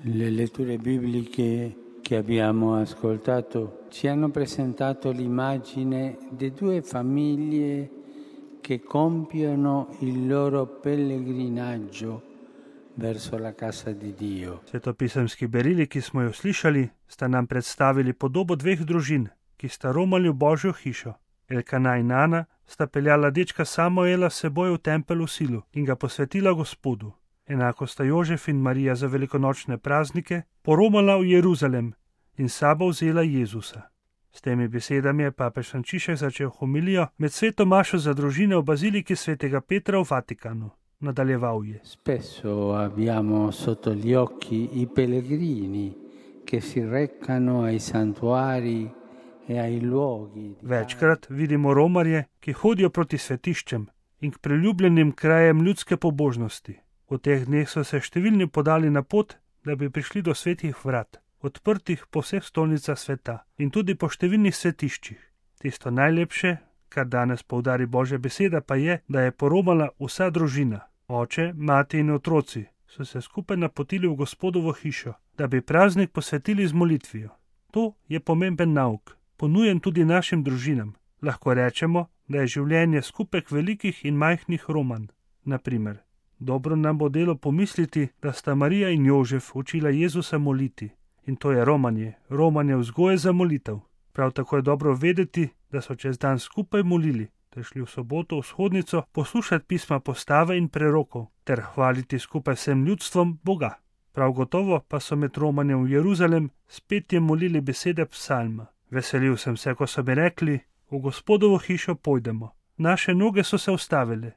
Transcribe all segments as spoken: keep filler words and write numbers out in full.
Le letture bibliche che abbiamo ascoltato ci hanno presentato l'immagine di due famiglie che compiono il loro pellegrinaggio verso la casa di Dio. Svetopisemski berili, ki smo jo slišali, sta nam predstavili podobo dveh družin, ki sta romali v Božjo hišo. Elkana in Ana sta peljala dečka Samuela s seboj v tempelj v Silu in ga posvetila Gospodu. Enako sta Jožef in Marija za velikonočne praznike poromala v Jeruzalem in s sabo vzela Jezusa. S temi besedami je papež Frančišek začel homilijo med sveto mašo za družine v baziliki svetega Petra v Vatikanu. Nadaljeval je. Spesso abbiamo sotto gli occhi i pellegrini che si recano ai santuari e ai luoghi. Večkrat vidimo romarje, ki hodijo proti svetiščem in k priljubljenim krajem ljudske pobožnosti. V teh dneh so se številni podali na pot, da bi prišli do svetih vrat, odprtih po vseh stolnicah sveta in tudi po številnih svetiščih. Tisto najlepše, kar danes poudari Božja beseda, pa je, da je poromala vsa družina. Oče, mati in otroci so se skupaj napotili v Gospodovo hišo, da bi praznik posvetili z molitvijo. To je pomemben nauk, ponujen tudi našim družinam. Lahko rečemo, da je življenje skupek velikih in majhnih romanj. Naprimer, dobro nam bo delo pomisliti, da sta Marija in Jožef učila Jezusa moliti. In to je romanje, romanje vzgoje za molitev. Prav tako je dobro vedeti, da so čez dan skupaj molili, ter šli v soboto v shodnico poslušati pisma postave in prerokov, ter hvaliti skupaj vsem ljudstvom Boga. Prav gotovo pa so med romanjem v Jeruzalem spet jim molili besede psalma. Veselil sem se, ko so mi rekli, v Gospodovo hišo pojdemo. Naše noge so se ustavile.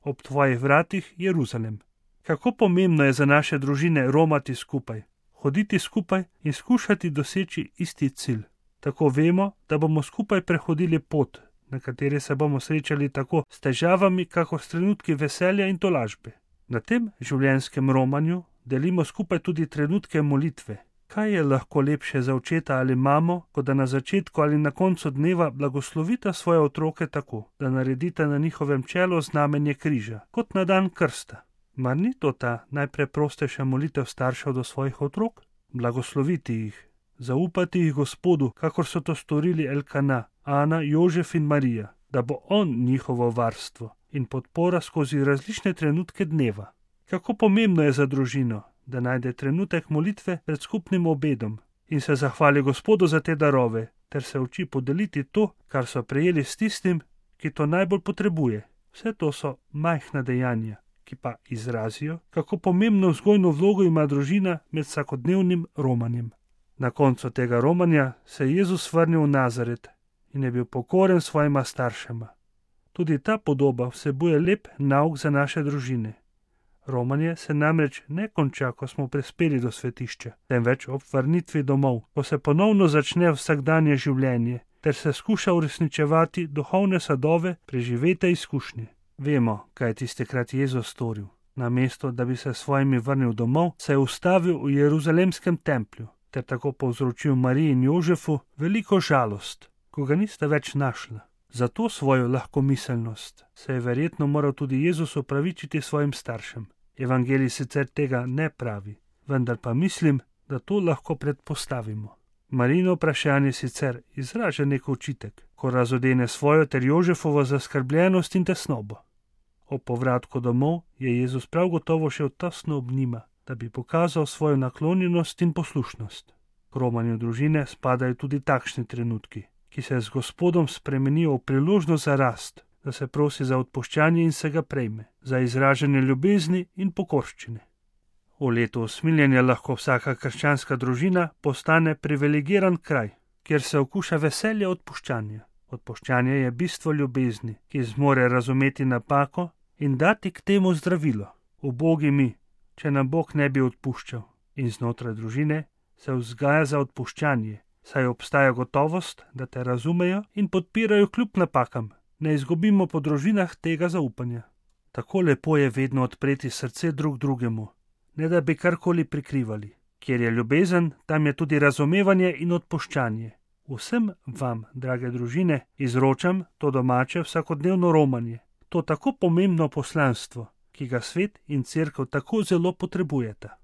Ob tvojih vratih, Jeruzalem. Kako pomembno je za naše družine romati skupaj, hoditi skupaj in skušati doseči isti cilj. Tako vemo, da bomo skupaj prehodili pot, na kateri se bomo srečali tako s težavami, kakor s trenutki veselja in tolažbe. Na tem življenjskem romanju delimo skupaj tudi trenutke molitve. Kaj je lahko lepše za očeta ali mamo, kot da na začetku ali na koncu dneva blagoslovita svoje otroke tako, da naredita na njihovem čelu znamenje križa, kot na dan krsta. Mar ni to ta najpreprostejša molitev staršev do svojih otrok? Blagosloviti jih, zaupati jih Gospodu, kakor so to storili Elkana, Ana, Jožef in Marija, da bo on njihovo varstvo in podpora skozi različne trenutke dneva. Kako pomembno je za družino, da najde trenutek molitve pred skupnim obedom in se zahvali Gospodu za te darove, ter se uči podeliti to, kar so prejeli s tistim, ki to najbolj potrebuje. Vse to so majhna dejanja, ki pa izrazijo, kako pomembno vzgojno vlogo ima družina med vsakodnevnim romanjem. Na koncu tega romanja se je Jezus vrnil v Nazaret in je bil pokoren svojima staršema. Tudi ta podoba vsebuje lep nauk za naše družine. Romanje se namreč ne konča, ko smo prispeli do svetišča, temveč ob vrnitvi domov, ko se ponovno začne vsakdanje življenje, ter se skuša uresničevati duhovne sadove preživete izkušnje. Vemo, kaj je tistikrat Jezus storil. Namesto, da bi se svojimi vrnil domov, se je ustavil v Jeruzalemskem templju, ter tako povzročil Mariji in Jožefu veliko žalost, ko ga nista več našla. Za to svojo lahkomiselnost se je verjetno moral tudi Jezus opravičiti svojim staršem. Evangelij sicer tega ne pravi, vendar pa mislim, da to lahko predpostavimo. Marijino vprašanje sicer izraža nek očitek, ko razodene svojo ter Jožefovo zaskrbljenost in tesnobo. Ob povratku domov je Jezus prav gotovo šel tesno ob njima, da bi pokazal svojo naklonjenost in poslušnost. K romanju družine spadajo tudi takšni trenutki, ki se z Gospodom spremenijo v priložnost za rast, da se prosi za odpuščanje in se ga prejme, za izražanje ljubezni in pokorščine. V letu usmiljenja lahko vsaka krščanska družina postane privilegiran kraj, kjer se okuša veselje odpuščanja. Odpuščanje je bistvo ljubezni, ki zmore razumeti napako in dati k temu zdravilo. Ubogi mi, če nam Bog ne bi odpuščal. In znotraj družine se vzgaja za odpuščanje, saj obstaja gotovost, da te razumejo in podpirajo kljub napakam. Ne izgubimo po družinah tega zaupanja. Tako lepo je vedno odpreti srce drug drugemu, ne da bi karkoli prikrivali. Kjer je ljubezen, tam je tudi razumevanje in odpuščanje. Vsem vam, drage družine, izročam to domače vsakodnevno romanje, to tako pomembno poslanstvo, ki ga svet in cerkev tako zelo potrebujeta.